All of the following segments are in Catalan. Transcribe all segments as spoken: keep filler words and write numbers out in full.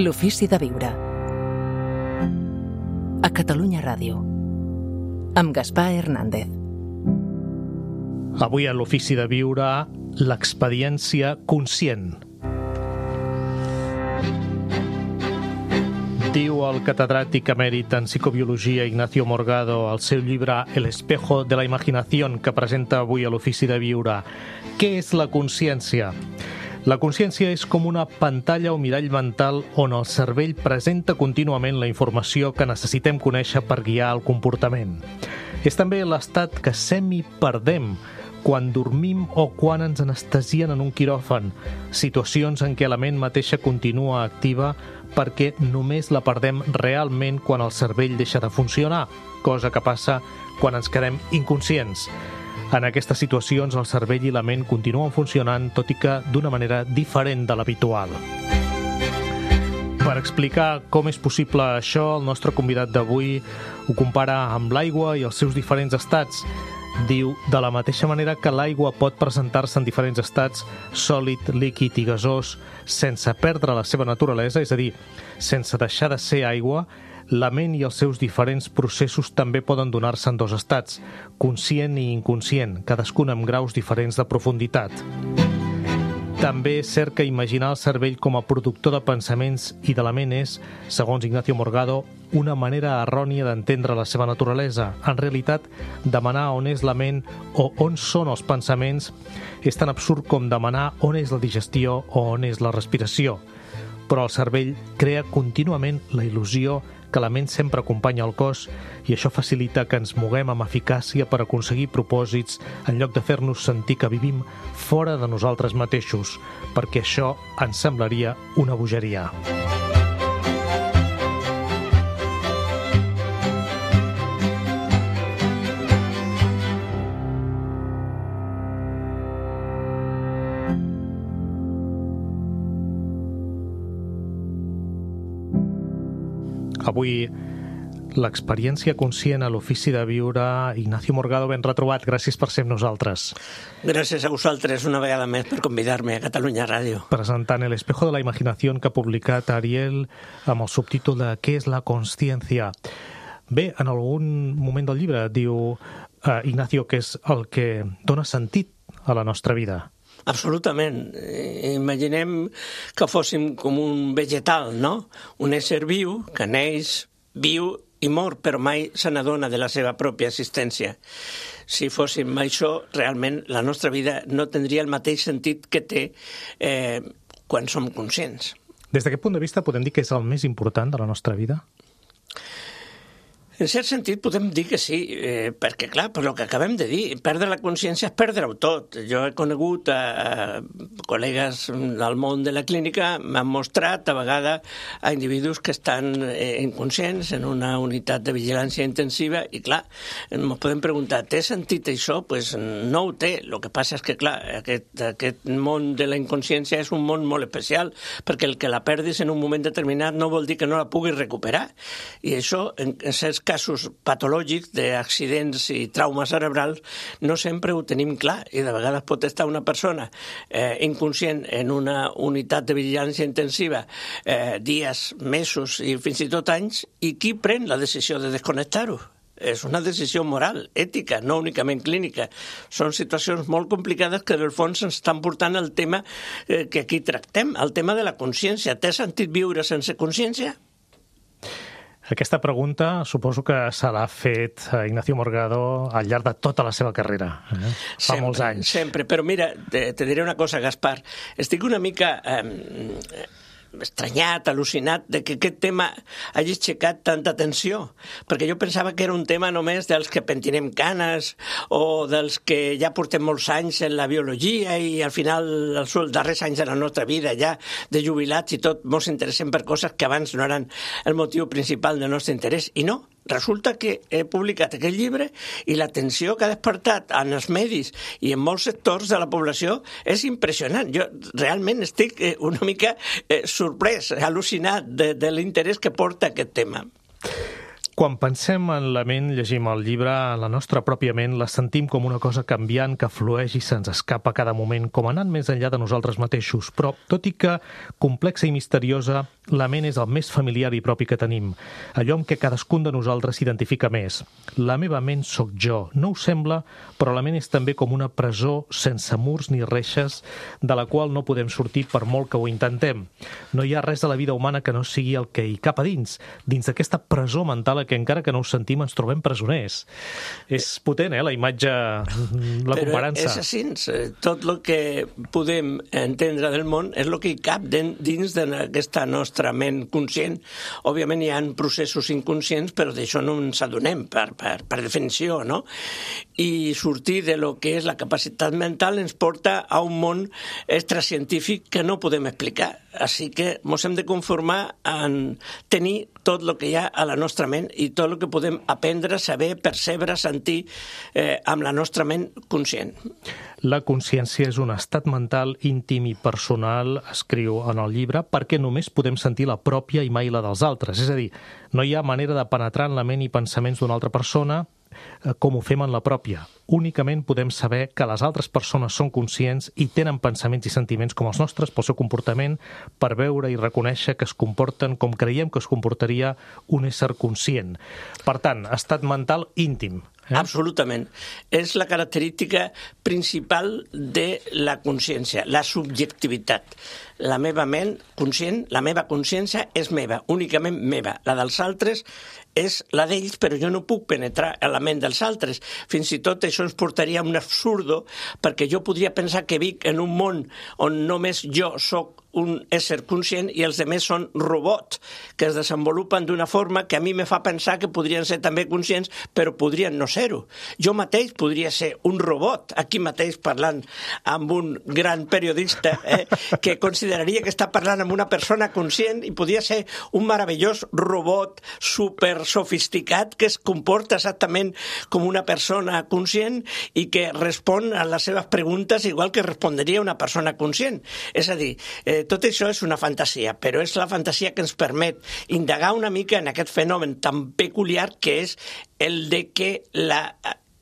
L'ofici de viure. A Catalunya Ràdio. Amb Gaspar Hernández. Avui a l'ofici de viure, l'experiència conscient. Diu el catedràtic emèrit en psicobiologia Ignacio Morgado al seu llibre El espejo de la imaginación, que presenta avui a l'ofici de viure. Què és la consciència? La consciència és com una pantalla o mirall mental on el cervell presenta contínuament la informació que necessitem conèixer per guiar el comportament. És també l'estat que semi-perdem quan dormim o quan ens anestesien en un quiròfan, situacions en què la ment mateixa continua activa perquè només la perdem realment quan el cervell deixa de funcionar, cosa que passa quan ens quedem inconscients. En aquestes situacions, el cervell i la ment continuen funcionant, tot i que d'una manera diferent de l'habitual. Per explicar com és possible això, el nostre convidat d'avui ho compara amb l'aigua i els seus diferents estats. Diu, de la mateixa manera que l'aigua pot presentar-se en diferents estats, sòlid, líquid i gasós, sense perdre la seva naturalesa, és a dir, sense deixar de ser aigua, la ment i els seus diferents processos també poden donar-se en dos estats, conscient i inconscient, cadascun amb graus diferents de profunditat. També és cert que imaginar el cervell com a productor de pensaments i de la ment és, segons Ignacio Morgado, una manera errònia d'entendre la seva naturalesa. En realitat, demanar on és la ment o on són els pensaments és tan absurd com demanar on és la digestió o on és la respiració. Però el cervell crea contínuament la il·lusió que la ment sempre acompanya el cos i això facilita que ens moguem amb eficàcia per aconseguir propòsits en lloc de fer-nos sentir que vivim fora de nosaltres mateixos, perquè això ens semblaria una bogeria. Avui, l'experiència conscient a l'ofici de viure. Ignacio Morgado, ben retrobat. Gràcies per ser amb nosaltres. Gràcies a vosaltres una vegada més per convidar-me a Catalunya Ràdio. Presentant El espejo de la imaginación, que ha publicat Ariel amb el subtítol de Què és la consciència? Bé, en algun moment del llibre diu eh, Ignacio que és el que dona sentit a la nostra vida. Absolutament. Imaginem que fóssim com un vegetal, no? Un ésser viu que neix, viu i mor, però mai se n'adona de la seva pròpia existència. Si fóssim això, realment la nostra vida no tindria el mateix sentit que té eh, quan som conscients. Des d'aquest punt de vista podem dir que és el més important de la nostra vida? En cert sentit podem dir que sí, eh, perquè clar, per el que acabem de dir, perdre la consciència és perdre-ho tot. Jo he conegut a, a col·legues del món de la clínica, m'han mostrat a vegades a individus que estan eh, inconscients en una unitat de vigilància intensiva i clar, ens podem preguntar, té sentit això? Pues no ho té. El que passa és que clar, aquest, aquest món de la inconsciència és un món molt especial, perquè el que la perdis en un moment determinat no vol dir que no la puguis recuperar. I això, en, en certs casos patològics d'accidents i traumes cerebrals no sempre ho tenim clar i de vegades pot estar una persona eh, inconscient en una unitat de vigilància intensiva eh, dies, mesos i fins i tot anys i qui pren la decisió de desconnectar-ho? És una decisió moral, ètica, no únicament clínica. Són situacions molt complicades que en el fons ens estan portant al tema eh, que aquí tractem, el tema de la consciència. Té sentit viure sense consciència? Aquesta pregunta suposo que se l'ha fet Ignacio Morgado al llarg de tota la seva carrera, eh? Fa sempre, molts anys. Sempre, però mira, te, te diré una cosa, Gaspar. Estic una mica eh, estranyat, al·lucinat de que aquest tema hagi aixecat tanta atenció, perquè jo pensava que era un tema només dels que pentinem canes o dels que ja portem molts anys en la biologia i al final els darrers anys de la nostra vida ja de jubilats i tot ens interessem per coses que abans no eren el motiu principal del nostre interès. I no, resulta que he publicat aquest llibre i l'atenció que ha despertat en els medis i en molts sectors de la població és impressionant. Jo realment estic eh, una mica eh, sorprès, al·lucinat de, de l'interès que porta aquest tema. Quan pensem en la ment, llegim el llibre, en la nostra pròpia ment la sentim com una cosa canviant que flueix i se'ns escapa a cada moment, com anant més enllà de nosaltres mateixos. Però, tot i que complexa i misteriosa, la ment és el més familiar i propi que tenim, allò amb què cadascun de nosaltres s'identifica més. La meva ment sóc jo. No ho sembla, però la ment és també com una presó sense murs ni reixes, de la qual no podem sortir per molt que ho intentem. No hi ha res de la vida humana que no sigui el que hi cap a dins, dins d'aquesta presó mental que encara que no ho sentim ens trobem presoners. És potent, eh, la imatge, la Però comparança. és així, tot el que podem entendre del món és el que hi cap dins d'aquesta nostra ment conscient. Òbviament hi ha processos inconscients, però d'això no ens adonem per, per, per definició, no? I sortir de lo que és la capacitat mental ens porta a un món extracientífic que no podem explicar. Així que ens hem de conformar en tenir tot el que hi ha a la nostra ment i tot el que podem aprendre, saber, percebre, sentir eh, amb la nostra ment conscient. La consciència és un estat mental íntim i personal, escriu en el llibre, perquè només podem sentir la pròpia i mai la dels altres. És a dir, no hi ha manera de penetrar en la ment i pensaments d'una altra persona com ho fem en la pròpia. Únicament podem saber que les altres persones són conscients i tenen pensaments i sentiments com els nostres pel seu comportament, per veure i reconèixer que es comporten com creiem que es comportaria un ésser conscient. Per tant, estat mental íntim. Eh? Absolutament. És la característica principal de la consciència, la subjectivitat. La meva ment conscient, la meva consciència és meva, únicament meva. La dels altres és la d'ells, però jo no puc penetrar en la ment dels altres. Fins i tot això ens portaria a un absurdo, perquè jo podria pensar que vic en un món on només jo sóc un ésser conscient i els altres són robots que es desenvolupen d'una forma que a mi me fa pensar que podrien ser també conscients, però podrien no ser-ho. Jo mateix podria ser un robot, aquí mateix parlant amb un gran periodista eh, que consideraria que està parlant amb una persona conscient i podria ser un meravellós robot super sofisticat que es comporta exactament com una persona conscient i que respon a les seves preguntes igual que respondria una persona conscient. És a dir, eh, tot això és una fantasia, però és la fantasia que ens permet indagar una mica en aquest fenomen tan peculiar que és el de que la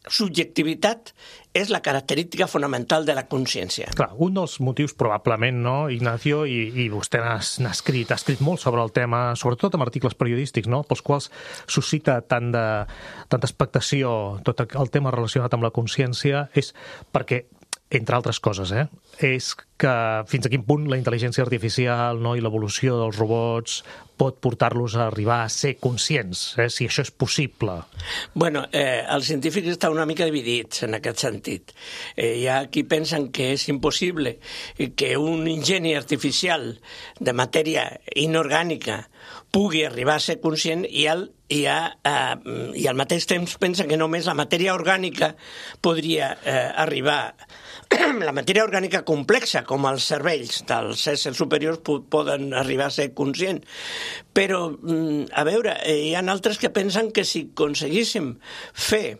subjectivitat és la característica fonamental de la consciència. Clar, un dels motius probablement, no, Ignacio, i, i vostè n'ha escrit, ha escrit molt sobre el tema, sobretot amb articles periodístics, no?, pels quals suscita tant de, tanta expectació tot el tema relacionat amb la consciència, és perquè, entre altres coses, eh, és que fins a quin punt la intel·ligència artificial, no, i l'evolució dels robots pot portar-los a arribar a ser conscients, eh, si això és possible. Bueno, eh, els científics estan una mica dividits en aquest sentit. Eh, hi ha qui pensen que és impossible que un ingeni artificial de matèria inorgànica pugui arribar a ser conscient i al, i, a, eh, i al mateix temps pensen que només la matèria orgànica podria eh, arribar la matèria orgànica complexa, com els cervells dels éssers superiors poden arribar a ser conscients. Però, a veure, hi ha altres que pensen que si aconseguíssim fer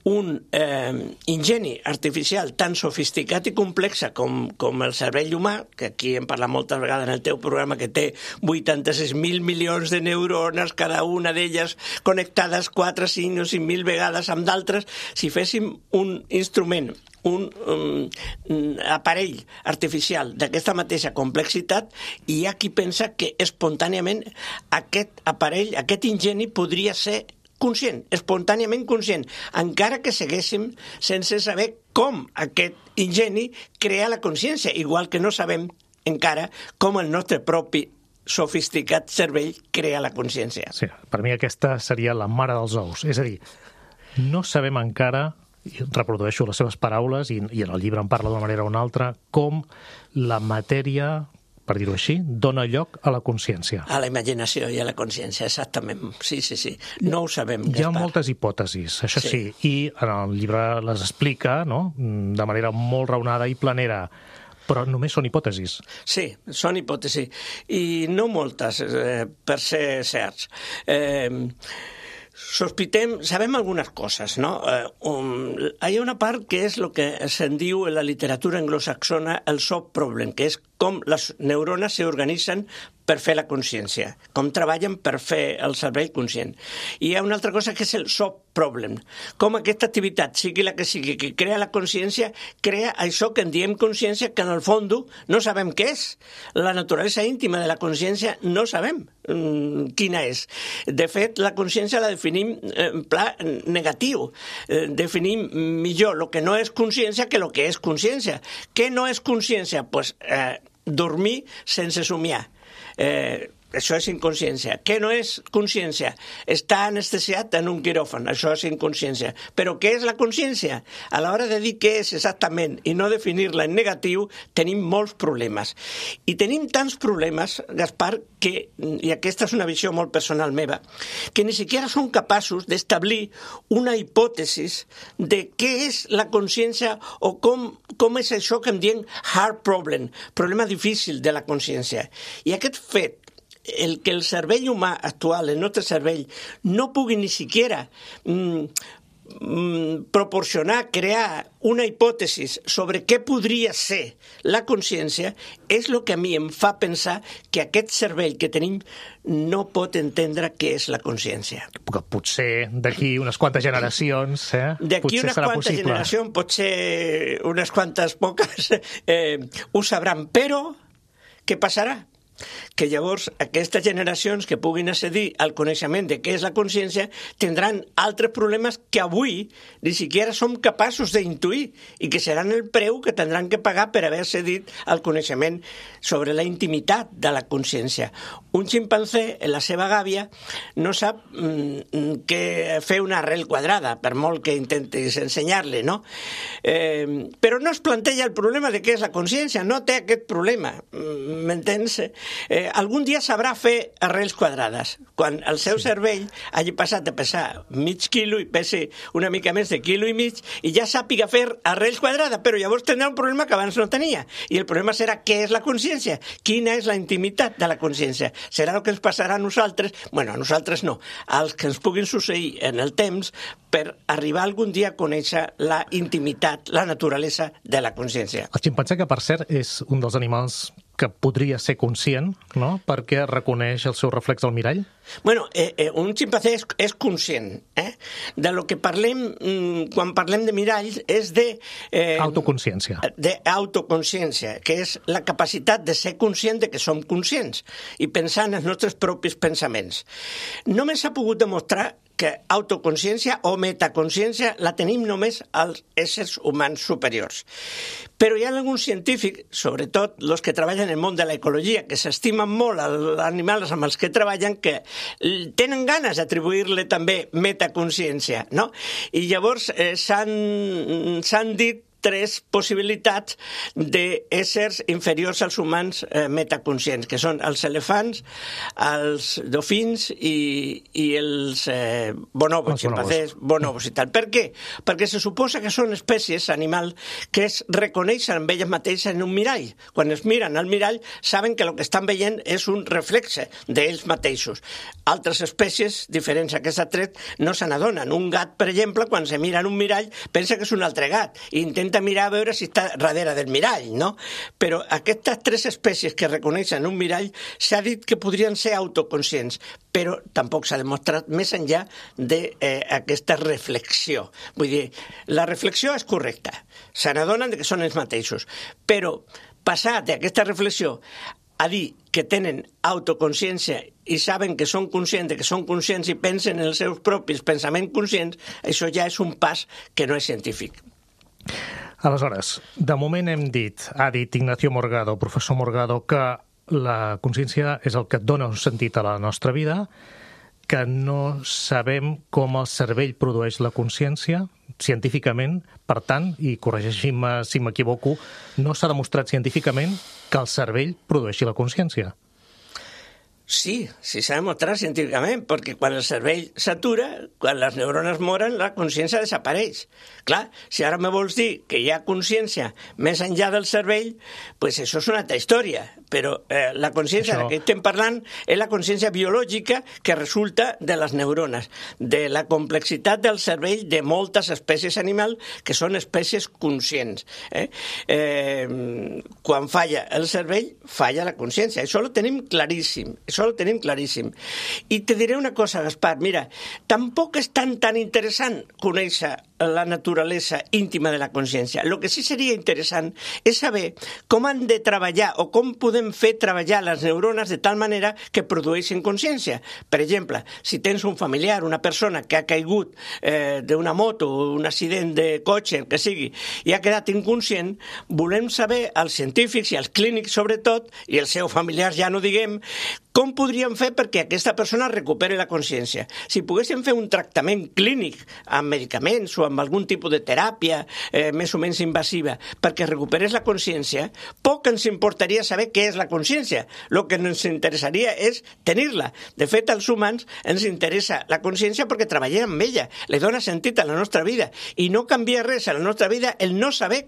un eh, ingeni artificial tan sofisticat i complexa com, com el cervell humà, que aquí hem parlat moltes vegades en el teu programa, que té vuitanta-sis mil milions de neurones, cada una d'elles connectades quatre, cinc o cinc mil vegades amb d'altres, si féssim un instrument, un um, aparell artificial d'aquesta mateixa complexitat, hi ha qui pensa que espontàniament aquest aparell, aquest ingeni podria ser conscient, espontàniament conscient, encara que seguéssim sense saber com aquest ingeni crea la consciència, igual que no sabem encara com el nostre propi sofisticat cervell crea la consciència. Sí, per mi aquesta seria la mare dels ous. És a dir, no sabem encara, reprodueixo les seves paraules, i, i en el llibre en parla d'una manera o una altra, com la matèria, per dir-ho així, dona lloc a la consciència. A la imaginació i a la consciència, exactament. Sí, sí, sí. No ho sabem, Gaspar. Hi ha moltes hipòtesis, això sí. sí, i en el llibre les explica, no?, de manera molt raonada i planera, però només són hipòtesis. Sí, són hipòtesis, i no moltes, eh, per ser certs. Eh... Sospitem, sabem algunes coses, no? Eh, um, hi ha una part que és el que se'n diu en la literatura anglosaxona el soft problem, que és com les neurones s'organitzen per fer la consciència, com treballen per fer el cervell conscient. I hi ha una altra cosa que és el soft problem, com aquesta activitat, sigui la que sigui, que crea la consciència, crea això que en diem consciència, que en el fons no sabem què és. La naturalesa íntima de la consciència no sabem mm, quina és. De fet, la consciència la definim en pla negatiu. Eh, definim millor el que no és consciència que el que és consciència. Què no és consciència? Pues, eh, dormir sense somiar. Eh, això és inconsciència. Què no és consciència? Estar anestesiat en un quiròfan, això és inconsciència. Però què és la consciència? A l'hora de dir què és exactament i no definir-la en negatiu, tenim molts problemes. I tenim tants problemes, Gaspar, que, i aquesta és una visió molt personal meva, que ni siquiera som capaços d'establir una hipòtesi de què és la consciència o com, com és això que en diem hard problem, problema difícil de la consciència. I aquest fet, el que el cervell humà actual, el nostre cervell, no pugui ni siquiera mm, mm, proporcionar, crear una hipòtesi sobre què podria ser la consciència, és el que a mi em fa pensar que aquest cervell que tenim no pot entendre què és la consciència. Potser d'aquí unes quantes generacions, eh? D'aquí unes quantes possible. generacions, potser unes quantes poques, eh, ho sabran, però què passarà? Que llavors aquestes generacions que puguin accedir al coneixement de què és la consciència tindran altres problemes que avui ni siquiera som capaços d'intuir i que seran el preu que tindran que pagar per haver accedit al coneixement sobre la intimitat de la consciència. Un ximpanzé, en la seva gàbia, no sap mm, que fer una arrel quadrada, per molt que intentis ensenyar-li, no? Eh, però no es planteja el problema de què és la consciència, no té aquest problema, m'entens? Eh, algun dia sabrà fer arrels quadrades. Quan el seu sí. cervell hagi passat de pesar mig quilo i pesi una mica més de quilo i mig i ja sàpiga fer arrels quadrades, però llavors tindrà un problema que abans no tenia. I el problema serà què és la consciència? Quina és la intimitat de la consciència? Serà el que ens passarà a nosaltres? Bueno, a nosaltres no. Als que ens puguin succeir en el temps per arribar algun dia a conèixer la intimitat, la naturalesa de la consciència. El ximpanzé, que per cert és un dels animals que podria ser conscient, no?, perquè reconeix el seu reflex al mirall? Bueno, eh, eh, un ximpanzé és, és conscient. Eh? De lo que parlem, mm, quan parlem de miralls, és de... Eh, autoconsciència. D'autoconsciència, que és la capacitat de ser conscient de que som conscients i pensar en els nostres propis pensaments. Només s'ha pogut demostrar que autoconsciència o metaconsciència la tenim només als éssers humans superiors. Però hi ha alguns científics, sobretot els que treballen en el món de l'ecologia, que s'estimen molt als animals amb els que treballen, que tenen ganes d'atribuir-li també metaconsciència, no? I llavors eh, s'han, s'han dit tres possibilitats d'éssers inferiors als humans eh, metaconscients, que són els elefants, els dofins i, i els eh, bonobos, ximpanzés, bonobos i tal. Per què? Perquè se suposa que són espècies, animals, que es reconeixen amb elles mateixes en un mirall. Quan es miren al mirall, saben que el que estan veient és un reflexe d'ells mateixos. Altres espècies, diferents a aquestes tres, no se n'adonen. Un gat, per exemple, quan se mira en un mirall, pensa que és un altre gat i intenta mirar a veure si està darrere del mirall, no? Però aquestes tres espècies que reconeixen un mirall s'ha dit que podrien ser autoconscients, però tampoc s'ha demostrat més enllà d'aquesta eh, reflexió. Vull dir, la reflexió és correcta, se n'adonen que són ells mateixos, però passat d'aquesta reflexió a dir que tenen autoconsciència i saben que són conscients de que són conscients i pensen en els seus propis pensaments conscients, això ja és un pas que no és científic. Aleshores, de moment hem dit, ha dit Ignacio Morgado, professor Morgado, que la consciència és el que dona un sentit a la nostra vida, que no sabem com el cervell produeix la consciència científicament, per tant, i corregeixi-me si m'equivoco, no s'ha demostrat científicament que el cervell produeixi la consciència. Sí, sí s'ha demostrat científicament, perquè quan el cervell s'atura, quan les neurones moren, la consciència desapareix. Clar, si ara me vols dir que hi ha consciència més enllà del cervell, pues això és una altra història, però eh, la consciència Això... de què estem parlant és la consciència biològica que resulta de les neurones, de la complexitat del cervell de moltes espècies animals que són espècies conscients. Eh? Eh, quan falla el cervell, falla la consciència. Això ho tenim claríssim, això ho tenim claríssim. I te diré una cosa, Gaspar, mira, tampoc és tan tan interessant conèixer la naturalesa íntima de la consciència. El que sí seria interessant és saber com han de treballar o com podem fer treballar les neurones de tal manera que produeixin consciència. Per exemple, si tens un familiar, una persona que ha caigut eh, d'una moto o un accident de cotxe, el que sigui, i ha quedat inconscient, volem saber, els científics i els clínics sobretot, i els seus familiars ja no diguem, com podríem fer perquè aquesta persona recuperi la consciència. Si poguéssim fer un tractament clínic amb medicaments o amb algun tipus de teràpia eh, més o menys invasiva perquè recuperés la consciència, poc ens importaria saber què és la consciència. El que ens interessaria és tenir-la. De fet, als humans ens interessa la consciència perquè treballem amb ella, li dona sentit a la nostra vida i no canvia res a la nostra vida el no saber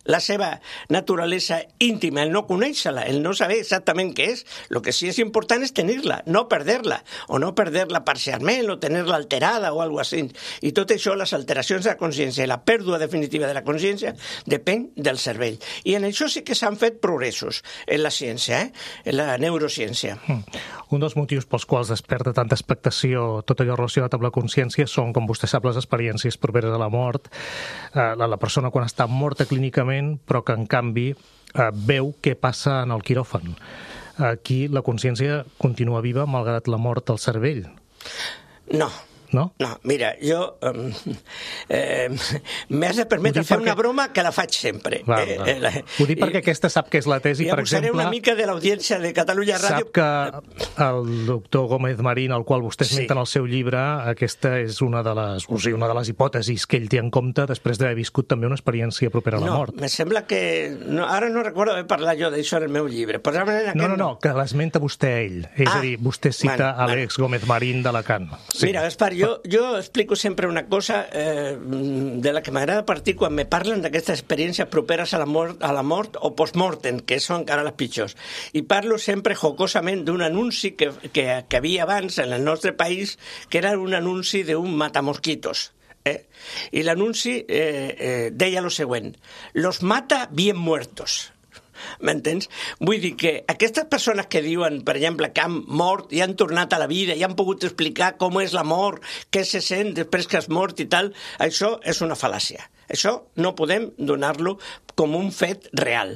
la seva naturalesa íntima, el no conèixer-la, el no saber exactament què és. El que sí és important és tenir-la, no perder-la, o no perder-la parcialment, o tenir-la alterada o alguna cosa així. I tot això, les alteracions de la consciència i la pèrdua definitiva de la consciència, depèn del cervell. I en això sí que s'han fet progressos en la ciència, eh? En la neurociència. Mm. Un dels motius pels quals desperta tanta expectació tot allò relacionat amb la consciència són, com vostè sap, les experiències properes a la mort. Eh, la, la persona quan està morta clínicament, però que en canvi eh, veu què passa en el quiròfan. Aquí la consciència continua viva malgrat la mort del cervell. No. No? No, mira, jo eh, eh, m'has de permetre fer perquè... una broma que la faig sempre. Va, va. Eh, la... Ho dic perquè aquesta sap que és la tesi, I per exemple... I abusaré una mica de l'audiència de Catalunya Ràdio. Sap que el doctor Gómez Marín, al qual vostè esmenta en el seu llibre, aquesta és una de les, o sigui, una de les hipòtesis que ell té en compte després d'haver viscut també una experiència propera a la no, mort. No, me sembla que... No, ara no recordo haver parlat jo d'això en el meu llibre. Però no, no, no, que l'esmenta vostè a ell. És ah, a dir, vostè cita bueno, Àlex bueno. Gómez Marín d'Alacant. Sí. Mira, Gaspar, jo, jo explico sempre una cosa eh, de la que m'agrada partir quan me parlen d'aquestes experiències properes a la mort, a la mort o post-mortem, que són encara les pitjors. I parlo sempre jocosament d'un anunci que, que, que havia abans en el nostre país, que era un anunci d'un matamosquitos. Eh? I l'anunci eh, eh, deia lo següent: los mata bien muertos. M'entens? Vull dir que aquestes persones que diuen, per exemple, que han mort i han tornat a la vida i han pogut explicar com és la mort, què se sent després que has mort i tal, això és una fal·làcia. Això no podem donar-lo com un fet real.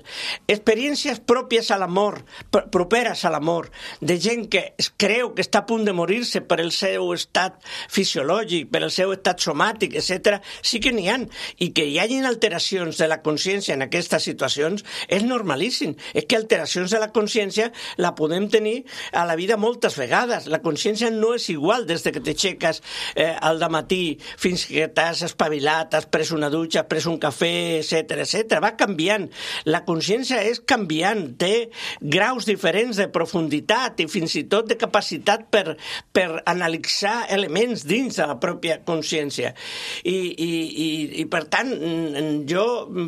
Experiències pròpies a la mort, properes a la mort, de gent que es creu que està a punt de morir-se per el seu estat fisiològic, per el seu estat somàtic, etcètera, sí que n'hi ha. I que hi hagin alteracions de la consciència en aquestes situacions és normalíssim. És que alteracions de la consciència la podem tenir a la vida moltes vegades. La consciència no és igual des de que t'aixeques eh, al dematí fins que t'has espavilat, has pres una dutxa, has pres un cafè, etcètera, etcètera. Va canviant. La consciència és canviant, té graus diferents de profunditat i fins i tot de capacitat per, per analitzar elements dins de la pròpia consciència. I, i, i, i per tant, jo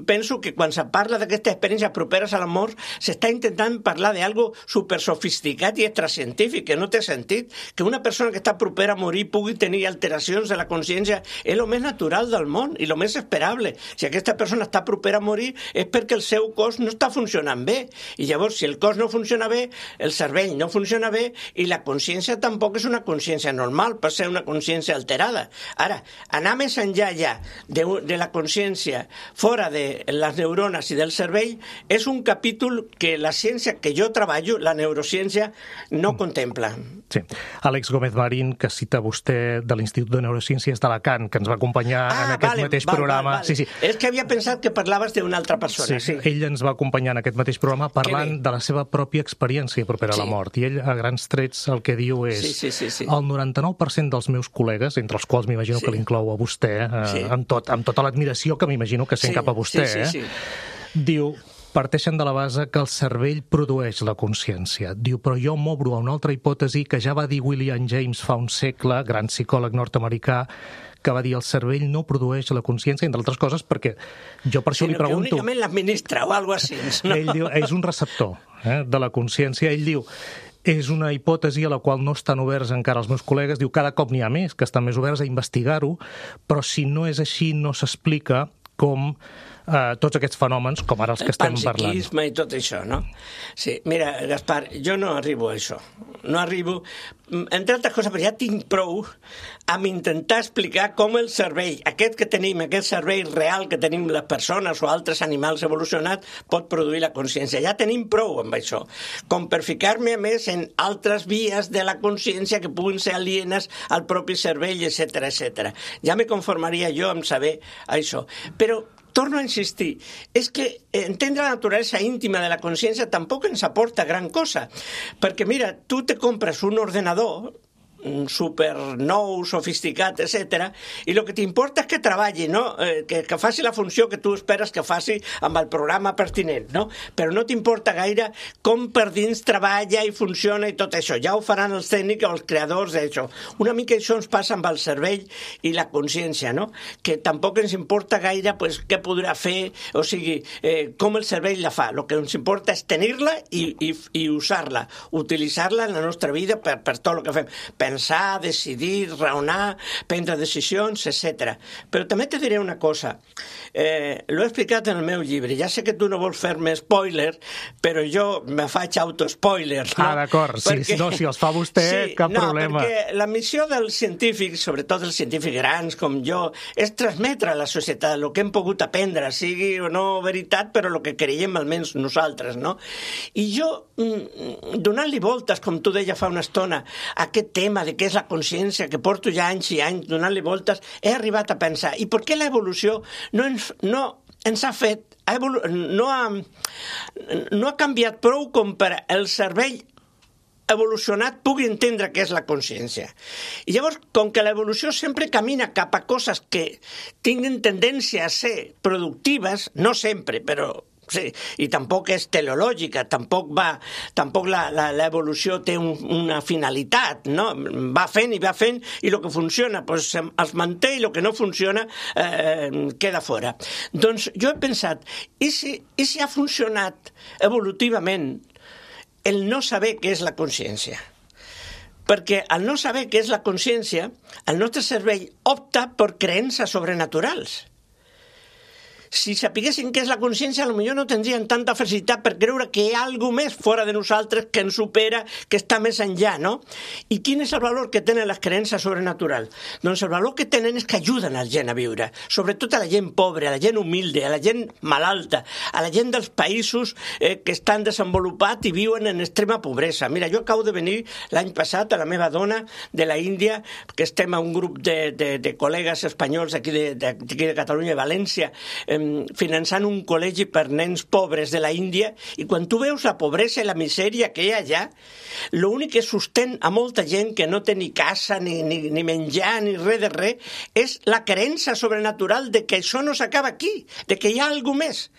penso que quan se parla d'aquesta experiència properes a la mort, s'està intentant parlar d'algo supersofisticat i extracientífic, que no té sentit. Que una persona que està propera a morir pugui tenir alteracions de la consciència és el més natural del món i el més esperable. Si aquesta persona està propera a morir és perquè el seu cos no està funcionant bé. I llavors, si el cos no funciona bé, el cervell no funciona bé i la consciència tampoc és una consciència normal, pot ser una consciència alterada. Ara, anar més enllà ja de, de la consciència fora de les neurones i del cervell és un capítol que la ciència que jo treballo, la neurociència, no contempla. Sí. Àlex Gómez Marín, que cita vostè de l'Institut de Neurociències d'Alacant, que ens va acompanyar ah, en aquest vale, mateix val, programa. Val, val. Sí, sí. És que havia pensat que parlaves d'una altra persona. Sí, sí. Ell ens va acompanyar en aquest mateix programa parlant de la seva pròpia experiència propera sí. a la mort. I ell, a grans trets, el que diu és sí, sí, sí, sí. el noranta-nou per cent dels meus col·legues, entre els quals m'imagino sí. que l'inclou a vostè, eh, sí. amb, tot, amb tota l'admiració que m'imagino que sent sí, cap a vostè, sí, sí, sí. Eh, diu... parteixen de la base que el cervell produeix la consciència. Diu, però jo m'obro a una altra hipòtesi que ja va dir William James fa un segle, gran psicòleg nord-americà, que va dir el cervell no produeix la consciència, entre altres coses, perquè jo per això Sinó li pregunto... que únicament l'administra o alguna cosa així. No? Ell diu, és un receptor eh, de la consciència. Ell diu, és una hipòtesi a la qual no estan oberts encara els meus col·legues. Diu, cada cop n'hi ha més, que estan més oberts a investigar-ho, però si no és així, no s'explica com eh, tots aquests fenòmens, com ara els que estem parlant. El panpsiquisme i tot això, no? Sí, mira, Gaspar, jo no arribo a això. No arribo, entre altres coses, perquè ja tinc prou amb intentar explicar com el cervell, aquest que tenim, aquest cervell real que tenim les persones o altres animals evolucionats, pot produir la consciència. Ja tenim prou amb això. Com per ficar-me, a més, en altres vies de la consciència que puguin ser alienes al propi cervell, etcètera, etcètera. Ja me conformaria jo amb saber això. Però torno a insistir, és que entendre la naturalesa íntima de la consciència tampoc ens aporta gran cosa, perquè mira, tu te compres un ordenador super nou, sofisticat, etcètera, i el que t'importa és que treballi, no? Eh, que, que faci la funció que tu esperes que faci amb el programa pertinent, no? Però no t'importa gaire com per dins treballa i funciona i tot això. Ja ho faran els tècnics o els creadors d'això. Una mica això ens passa amb el cervell i la consciència, no? Que tampoc ens importa gaire pues, què podrà fer, o sigui, eh, com el cervell la fa. El que ens importa és tenir-la i, i, i usar-la, utilitzar-la en la nostra vida per, per tot el que fem. Pensar, decidir, raonar, prendre decisions, etcètera. Però també te diré una cosa. Eh, l'ho he explicat en el meu llibre. Ja sé que tu no vols fer-me spoiler, però jo me faig autospoiler. No? Ah, d'acord. Perquè... Sí, no, si els fa vostè, sí, cap no, problema. Perquè la missió dels científics, sobretot els científics grans com jo, és transmetre a la societat el que hem pogut aprendre, sigui o no veritat, però el que creiem almenys nosaltres, no? I jo, donant-li voltes, com tu deia fa una estona, a aquest tema de què és la consciència, que porto ja anys i anys donant-li voltes, he arribat a pensar, i per què l'evolució no ens, no ens ha fet, ha evolu no, ha, no ha canviat prou com per el cervell evolucionat pugui entendre què és la consciència. I llavors, com que l'evolució sempre camina cap a coses que tinguin tendència a ser productives, no sempre, però sí, i tampoc és teleològica, tampoc va, tampoc l'evolució té un, una finalitat, no? Va fent i va fent, i el que funciona pues, es manté i el que no funciona eh, queda fora. Doncs jo he pensat, i si, i si ha funcionat evolutivament el no saber què és la consciència? Perquè al no saber què és la consciència, el nostre cervell opta per creences sobrenaturals. Si sapiguessin què és la consciència, potser no tindrien tanta facilitat per creure que hi ha alguna més fora de nosaltres que ens supera, que està més enllà, no? I quin és el valor que tenen les creences sobrenaturals? Doncs el valor que tenen és que ajuden a la gent a viure, sobretot a la gent pobra, a la gent humilde, a la gent malalta, a la gent dels països eh, que estan desenvolupats i viuen en extrema pobresa. Mira, jo acabo de venir l'any passat a la meva dona de la Índia, que estem a un grup de, de, de col·legues espanyols aquí de, de, de Catalunya i València, eh, finançant un col·legi per nens pobres de la Índia, i quan tu veus la pobresa i la misèria que hi ha allà, l'únic que sostén a molta gent que no té ni casa, ni, ni, ni menjar, ni res de res, és la creença sobrenatural de que això no s'acaba aquí, de que hi ha alguna més.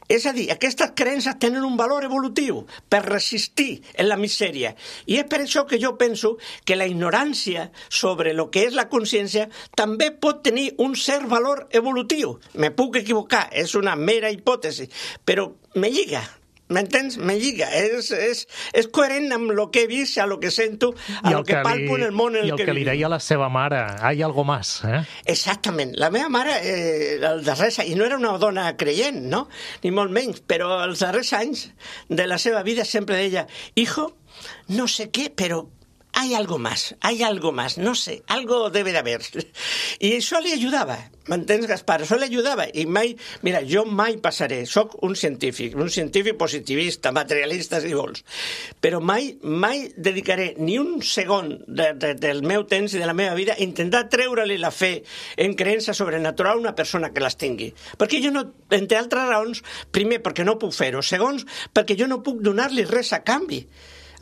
És a dir, aquestes creences tenen un valor evolutiu per resistir en la misèria. I és per això que jo penso que la ignorància sobre el que és la consciència també pot tenir un cert valor evolutiu. Me puc equivocar, és una mera hipòtesi, però me lliga. M'entens? Me lliga. És, és, és coherent amb el que he vist, a lo que sento, a lo que, que palpo en el món en el que vivim. I el que li deia la seva mare, hay algo más, eh? Exactament. La meva mare, eh, els darrers anys, i no era una dona creient, no? Ni molt menys, però els darrers anys de la seva vida sempre deia, hijo, no sé què, però hay algo más, hay algo más, no sé, algo debe de haber. I això li ajudava, m'entens, Gaspar? Això li ajudava. I mai, mira, jo mai passaré, soc un científic, un científic positivista, materialista, si vols, però mai, mai dedicaré ni un segon de, de, del meu temps i de la meva vida a intentar treure-li la fe en creença sobrenatural a una persona que les tingui. Perquè jo no, entre altres raons, primer, perquè no puc fer-ho, segons, perquè jo no puc donar-li res a canvi.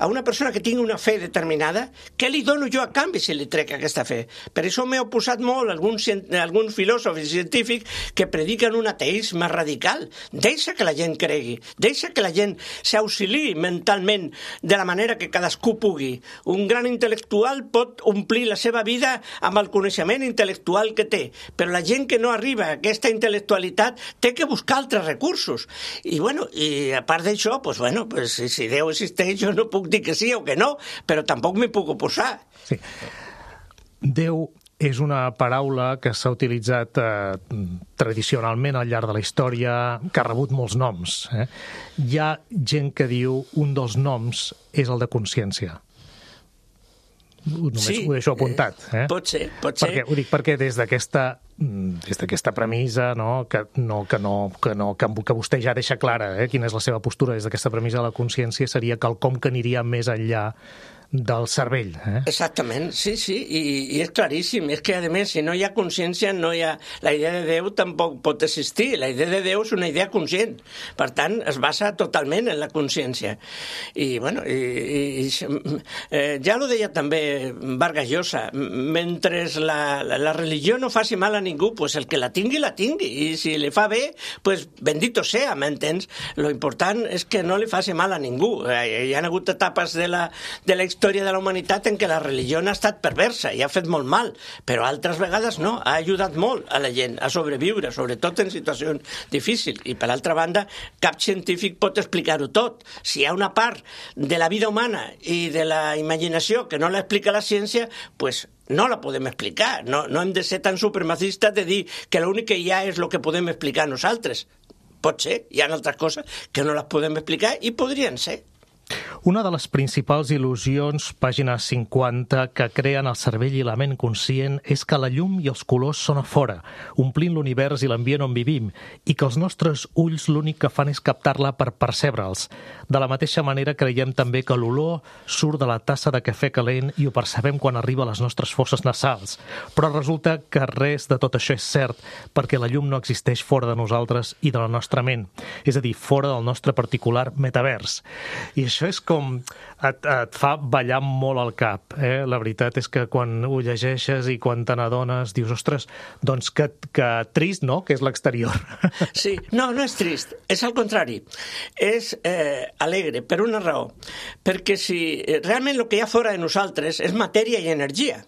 a una persona que tingui una fe determinada, què li dono jo a canvi si li trec aquesta fe? Per això m'he oposat molt a alguns, alguns filòsofs i científics que prediquen un ateisme radical. Deixa que la gent cregui, deixa que la gent s'auxiliï mentalment de la manera que cadascú pugui. Un gran intel·lectual pot omplir la seva vida amb el coneixement intel·lectual que té, però la gent que no arriba a aquesta intel·lectualitat té que buscar altres recursos. I, bueno, i a part d'això, pues, bueno, pues, si, si Déu existeix, jo no puc dir que sí o que no, però tampoc m'hi puc oposar. Sí. Déu és una paraula que s'ha utilitzat eh, tradicionalment al llarg de la història, que ha rebut molts noms. Eh? Hi ha gent que diu un dels noms és el de consciència. Només sí, ho deixo apuntat. Eh? Pot ser, pot ser. Perquè, ho dic perquè des d'aquesta des d'aquesta premissa, no, que, no, que, no, que, no, que, que vostè ja deixa clara eh, quina és la seva postura des d'aquesta premissa de la consciència, seria quelcom que aniria més enllà del cervell. Eh? Exactament, sí, sí, i, i és claríssim. És que, a més, si no hi ha consciència, no hi ha... la idea de Déu tampoc pot existir. La idea de Déu és una idea conscient. Per tant, es basa totalment en la consciència. I, bueno, i, i, eh, ja ho deia també Vargas Llosa, mentre la, la, la religió no faci mal a ningú, pues el que la tingui, la tingui. I si li fa bé, pues bendito sea, m'entens? Lo important és que no li faci mal a ningú. Eh, hi ha hagut etapes de la, de la història història de la humanitat en què la religió ha estat perversa i ha fet molt mal, però altres vegades no, ha ajudat molt a la gent a sobreviure, sobretot en situacions difícils. I per altra banda, cap científic pot explicar-ho tot. Si hi ha una part de la vida humana i de la imaginació que no l'explica la ciència, pues no la podem explicar. No, no hem de ser tan supremacistes de dir que l'únic que hi ha és el que podem explicar nosaltres. Pot ser, hi ha altres coses que no les podem explicar i podrien ser. Una de les principals il·lusions, pàgina cinquanta, que creen el cervell i la ment conscient és que la llum i els colors són a fora, omplint l'univers i l'ambient on vivim, i que els nostres ulls l'únic que fan és captar-la per percebre'ls. De la mateixa manera creiem també que l'olor surt de la tassa de cafè calent i ho percebem quan arriba a les nostres fosses nasals. Però resulta que res de tot això és cert, perquè la llum no existeix fora de nosaltres i de la nostra ment, és a dir, fora del nostre particular metavers. I això és com et, et fa ballar molt al cap. Eh? La veritat és que quan ho llegeixes i quan te n'adones dius, ostres, doncs que, que trist, no?, que és l'exterior. Sí, no, no és trist, és al contrari. És eh, alegre, per una raó. Perquè si realment el que hi ha fora de nosaltres és matèria i energia,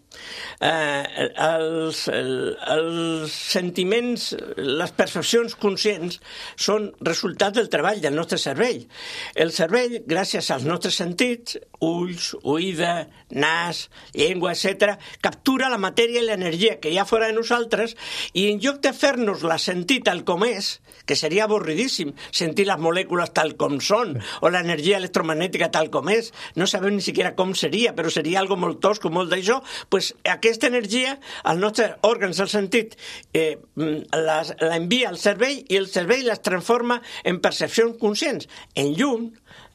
eh, els, el, els sentiments, les percepcions conscients són resultat del treball del nostre cervell. El cervell, gràcies als nostres sentits, ulls, oïda, nas, llengua, etcètera, captura la matèria i l'energia que hi ha fora de nosaltres i en lloc de fer-nos-la sentir tal com és, que seria avorridíssim sentir les molècules tal com són o l'energia electromagnètica tal com és, no sabem ni siquiera com seria, però seria algo molt tosco, molt d'això, pues aquesta energia, els nostres òrgans del sentit eh, l'envia al cervell i el cervell les transforma en percepcions conscients, en llum,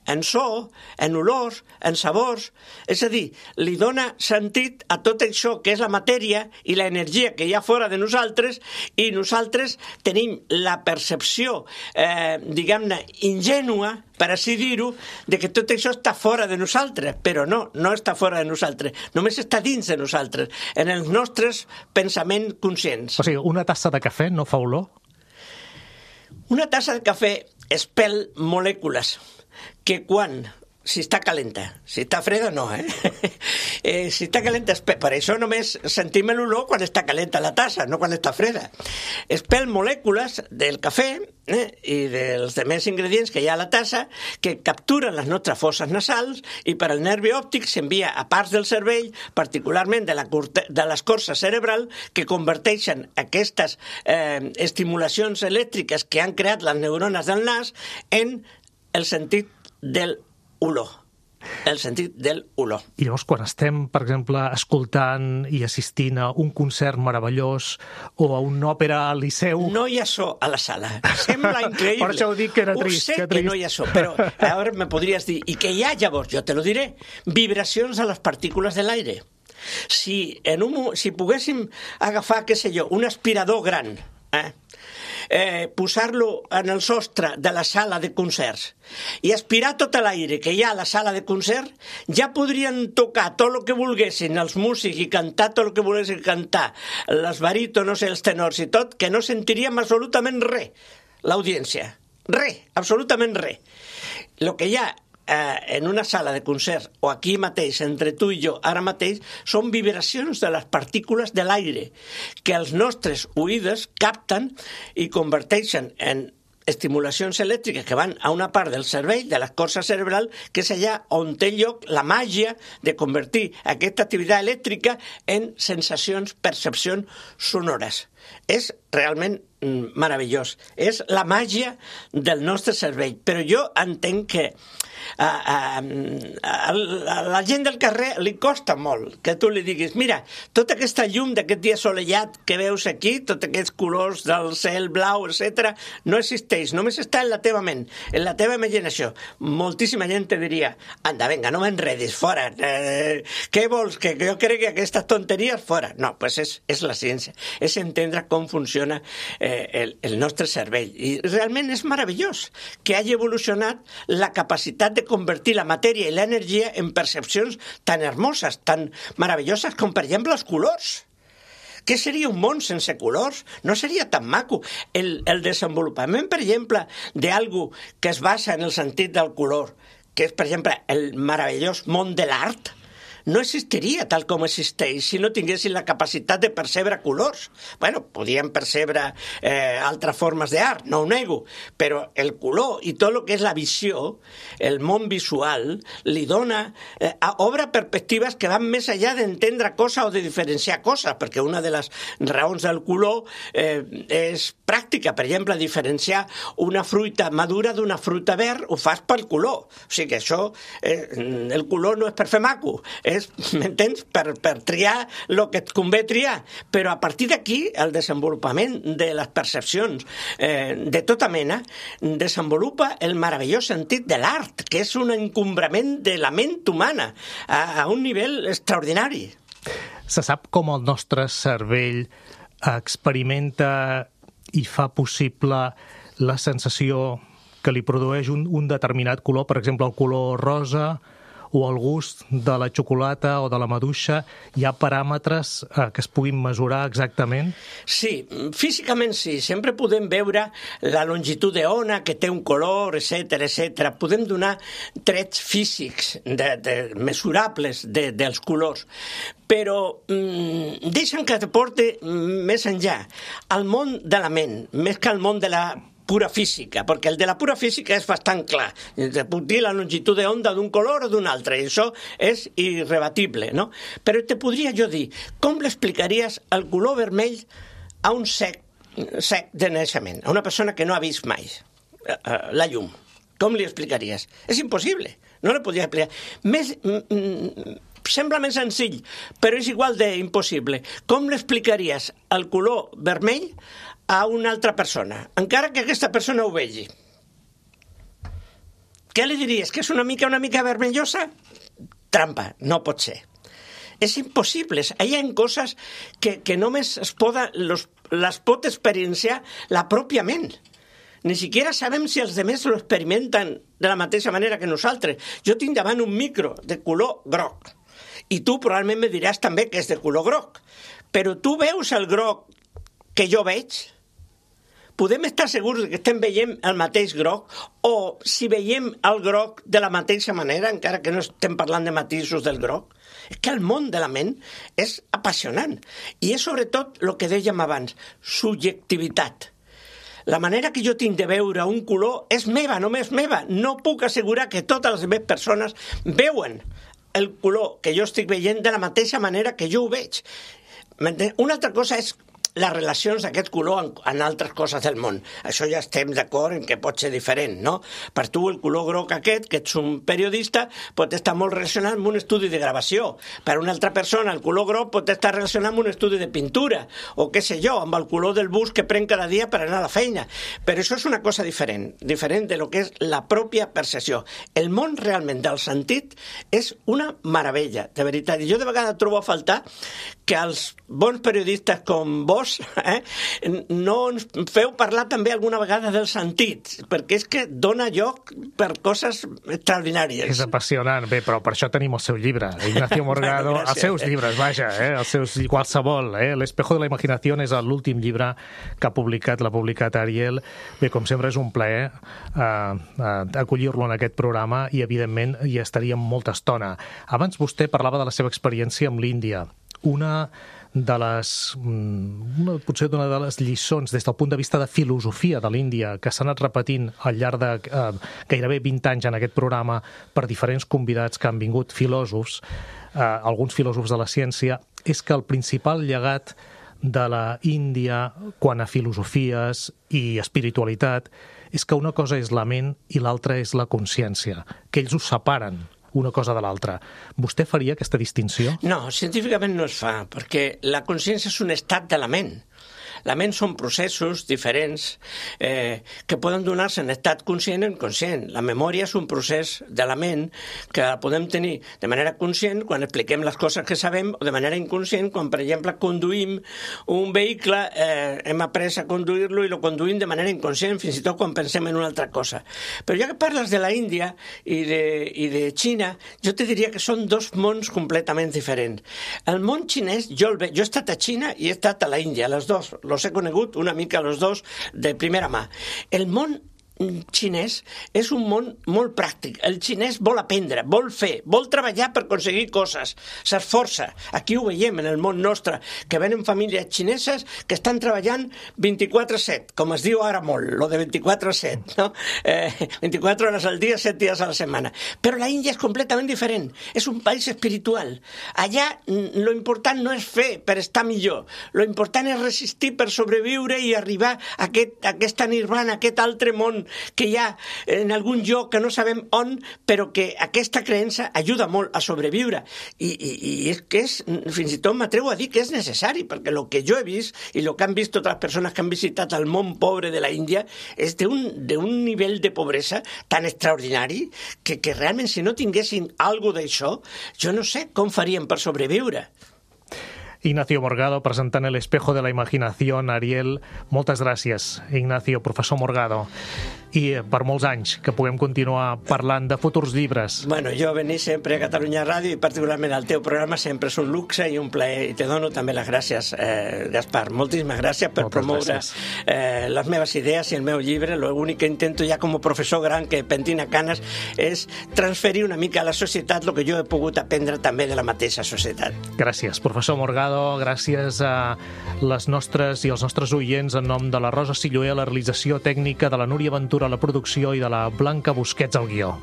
en so, en olors, en sabors. És a dir, li dona sentit a tot això que és la matèria i l'energia que hi ha fora de nosaltres i nosaltres tenim la percepció, eh, diguem-ne, ingènua, per així dir-ho, de que tot això està fora de nosaltres, però no, no està fora de nosaltres, només està dins de nosaltres, en els nostres pensaments conscients. O sigui, una tassa de cafè no fa olor? Una tassa de cafè espel molècules que quan, si està calenta, si està freda no, eh? eh si està calenta, per això només sentim l'olor quan està calenta la tassa, no quan està freda. Espel molècules del cafè eh, i dels demés ingredients que hi ha a la tassa que capturen les nostres fosses nasals i per al nervi òptic s'envia a parts del cervell, particularment de, la curta, de l'escorça cerebral, que converteixen aquestes eh, estimulacions elèctriques que han creat les neurones del nas en el sentit del olor. El sentit del olor. I llavors, quan estem, per exemple, escoltant i assistint a un concert meravellós o a una òpera al Liceu... No hi ha so a la sala. Sembla increïble. Per això ho dic que era trist. Ho sé que, que no hi ha so, però ara me podries dir, i que hi ha llavors, jo te lo diré, vibracions a les partícules de l'aire. Si, en un, si poguéssim agafar, què sé jo, un aspirador gran, eh? eh, posar-lo en el sostre de la sala de concerts i aspirar tot l'aire que hi ha a la sala de concert, ja podrien tocar tot el que volguessin els músics i cantar tot el que volguessin cantar, les barítonos, els tenors i tot, que no sentiríem absolutament res, l'audiència. Res, absolutament res. El que hi ha en una sala de concert o aquí mateix, entre tu i jo, ara mateix, són vibracions de les partícules de l'aire que els nostres oïdes capten i converteixen en estimulacions elèctriques que van a una part del cervell, de l'escorça cerebral, que és allà on té lloc la màgia de convertir aquesta activitat elèctrica en sensacions, percepcions sonores. És realment meravellós. És la màgia del nostre cervell. Però jo entenc que a, a, a, a la gent del carrer li costa molt que tu li diguis, mira, tota aquesta llum d'aquest dia assolellat que veus aquí, tots aquests colors del cel blau, etcètera, no existeix, només està en la teva ment, en la teva imaginació. Moltíssima gent te diria, anda, venga, no m'enredis, fora, eh, què vols, que jo crec que aquestes tonteries, fora. No, pues és, és la ciència, és entendre com funciona eh, el, el nostre cervell. I realment és meravellós que hagi evolucionat la capacitat de convertir la matèria i l'energia en percepcions tan hermoses, tan meravelloses com, per exemple, els colors. Què seria un món sense colors? No seria tan maco. El, el desenvolupament, per exemple, d'algú que es basa en el sentit del color, que és, per exemple, el meravellós món de l'art, no existiria tal com existeix si no tinguessin la capacitat de percebre colors. Bueno, podien percebre eh, altres formes d'art, no ho nego, però el color i tot el que és la visió, el món visual, li dona, eh, obre perspectives que van més enllà d'entendre coses o de diferenciar coses, perquè una de les raons del color eh, és pràctica. Per exemple, diferenciar una fruita madura d'una fruita verd ho fas pel color. O sigui que això, eh, el color no és per fer maco, és, m'entens, per, per triar el que et convé triar. Però a partir d'aquí, el desenvolupament de les percepcions eh, de tota mena desenvolupa el meravellós sentit de l'art, que és un encombrament de la ment humana a, a un nivell extraordinari. Se sap com el nostre cervell experimenta i fa possible la sensació que li produeix un, un determinat color, per exemple, el color rosa o el gust de la xocolata o de la maduixa. Hi ha paràmetres eh, que es puguin mesurar exactament? Sí, físicament sí. Sempre podem veure la longitud d'ona que té un color, etcètera, etcètera. Podem donar trets físics de, de, mesurables de, dels colors. Però mm, deixa'm que te porte més enllà. Al món de la ment, més que al món de la pura física, perquè el de la pura física és bastant clar. Te puc dir la longitud d'onda d'un color o d'un altre, i això és irrebatible, no? Però te podria jo dir, com l'explicaries el color vermell a un sec, sec de naixement, a una persona que no ha vist mai la llum? Com li explicaries? És impossible, no li podria explicar. Més... Mm, sembla més senzill, però és igual d'impossible. Com l'explicaries el color vermell a una altra persona, encara que aquesta persona ho vegi? Què li diries? Que és una mica una mica vermellosa? Trampa, no pot ser. És impossible. Hi ha coses que, que només es poden, los, les pot experienciar la pròpia ment. Ni siquiera sabem si els altres lo experimenten de la mateixa manera que nosaltres. Jo tinc davant un micro de color groc i tu probablement me diràs també que és de color groc. Però tu veus el groc que jo veig? Podem estar segurs que estem veient el mateix groc, o si veiem el groc de la mateixa manera, encara que no estem parlant de matisos del groc? És que el món de la ment és apassionant. I és sobretot el que dèiem abans, subjectivitat. La manera que jo tinc de veure un color és meva, només meva. No puc assegurar que totes les meves persones veuen el color que jo estic veient de la mateixa manera que jo ho veig. Una altra cosa és les relacions d'aquest color en, en altres coses del món. Això ja estem d'acord en que pot ser diferent, no? Per tu el color groc aquest, que ets un periodista, pot estar molt relacionat amb un estudi de gravació. Per una altra persona el color groc pot estar relacionat amb un estudi de pintura, o què sé jo, amb el color del bus que prenc cada dia per anar a la feina. Però això és una cosa diferent, diferent de lo que és la pròpia percepció. El món realment del sentit és una meravella, de veritat. I jo de vegades trobo a faltar que els bons periodistes com vos eh, no ens feu parlar també alguna vegada dels sentits, perquè és que dona lloc per coses extraordinàries. És apassionant. Bé, però per això tenim el seu llibre, Ignacio Morgado, bueno, els seus llibres, vaja, eh, els seus, qualsevol. Eh? L'Espejo de la Imaginación és l'últim llibre que ha publicat, l'ha publicat Ariel. Bé, com sempre és un plaer eh, eh, acollir-lo en aquest programa i, evidentment, hi estaríem molta estona. Abans vostè parlava de la seva experiència amb l'Índia. Una de les, una, potser una de les lliçons des del punt de vista de filosofia de l'Índia que s'ha anat repetint al llarg de eh, gairebé vint anys en aquest programa per diferents convidats que han vingut filòsofs, eh, alguns filòsofs de la ciència, és que el principal llegat de la Índia quant a filosofies i espiritualitat és que una cosa és la ment i l'altra és la consciència, que ells ho separen una cosa de l'altra. Vostè faria aquesta distinció? No, científicament no es fa, perquè la consciència és un estat de la ment. La ment són processos diferents eh, que poden donar-se en estat conscient o inconscient. La memòria és un procés de la ment que podem tenir de manera conscient quan expliquem les coses que sabem o de manera inconscient quan, per exemple, conduïm un vehicle, eh, hem après a conduir-lo i lo conduïm de manera inconscient, fins i tot quan pensem en una altra cosa. Però ja que parles de la Índia i de, i de Xina, jo te diria que són dos mons completament diferents. El món xinès, jo, el ve... jo he estat a Xina i he estat a la Índia, les dos, los he conegut una mica los dos de primera mà. El món xinès és un món molt pràctic. El xinès vol aprendre, vol fer, vol treballar per aconseguir coses, s'esforça. Aquí ho veiem en el món nostre, que venen famílies xineses que estan treballant vint-i-quatre set, com es diu ara molt, lo de vint-i-quatre set, no? Eh, vint-i-quatre hores al dia, set dies a la setmana. Però la Índia és completament diferent. És un país espiritual. Allà lo important no és fer per estar millor. Lo important és resistir per sobreviure i arribar a, aquest, a aquesta nirvana, a aquest altre món que hi ha en algun lloc que no sabem on, però que aquesta creença ajuda molt a sobreviure. I, i, i és que és, fins i tot m'atrevo a dir que és necessari, perquè el que jo he vist i el que han vist totes les persones que han visitat el món pobre de la Índia és d'un nivell de pobresa tan extraordinari que, que realment si no tinguessin alguna d'això, jo no sé com farien per sobreviure. Ignacio Morgado, presentant El Espejo de la Imaginación. Ariel, moltes gràcies, Ignacio, professor Morgado. I per molts anys que puguem continuar parlant de futurs llibres. Bueno, jo venir sempre a Catalunya Ràdio i particularment al teu programa sempre és un luxe i un plaer i te dono també les gràcies, eh, Gaspar. Moltíssimes gràcies per moltes promoure gràcies. Eh, les meves idees i el meu llibre. L'únic que intento ja com a professor gran que pentina canes és transferir una mica a la societat el que jo he pogut aprendre també de la mateixa societat. Gràcies, professor Morgado. Gràcies a les nostres i els nostres oients en nom de la Rosa Silloé a la realització tècnica, de la Núria Ventura a la producció i de la Blanca Busquets al guió.